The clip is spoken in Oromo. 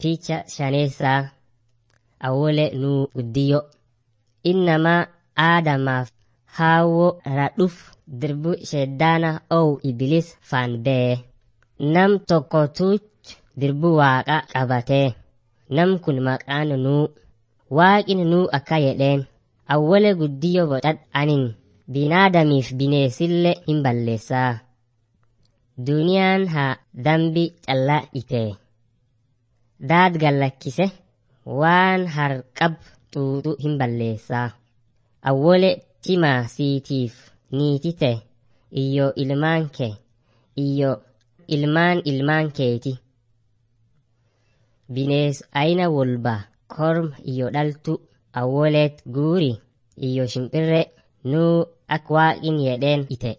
Picha shaneessaa awwole nuu guddiyyoo. Innamaa aadamaaf haawwoo radhuf dirbu sheddaana ow ibilis faan bee. Nam tokkotuch dirbu waaqa qabatee. Nam kun maqaan nuu. Waaqni nuu akka jedheen. Awwole guddiyyoo boqad anin binaadamiif bineesillee hin balleessaa. Duniyaan haa dambi callaa itee. Daad gallakkise waan harqab xuuxu hin balleessaa. Awwole cimaa siitiif niitite iyyoo ilmaan kee iyyoo ilmaan ilmaan keeti. Binees ayina wolba korma iyyoo dhaltu awwoleet guuri iyyoo shimpirree nuu ak waaqin jedheen ite.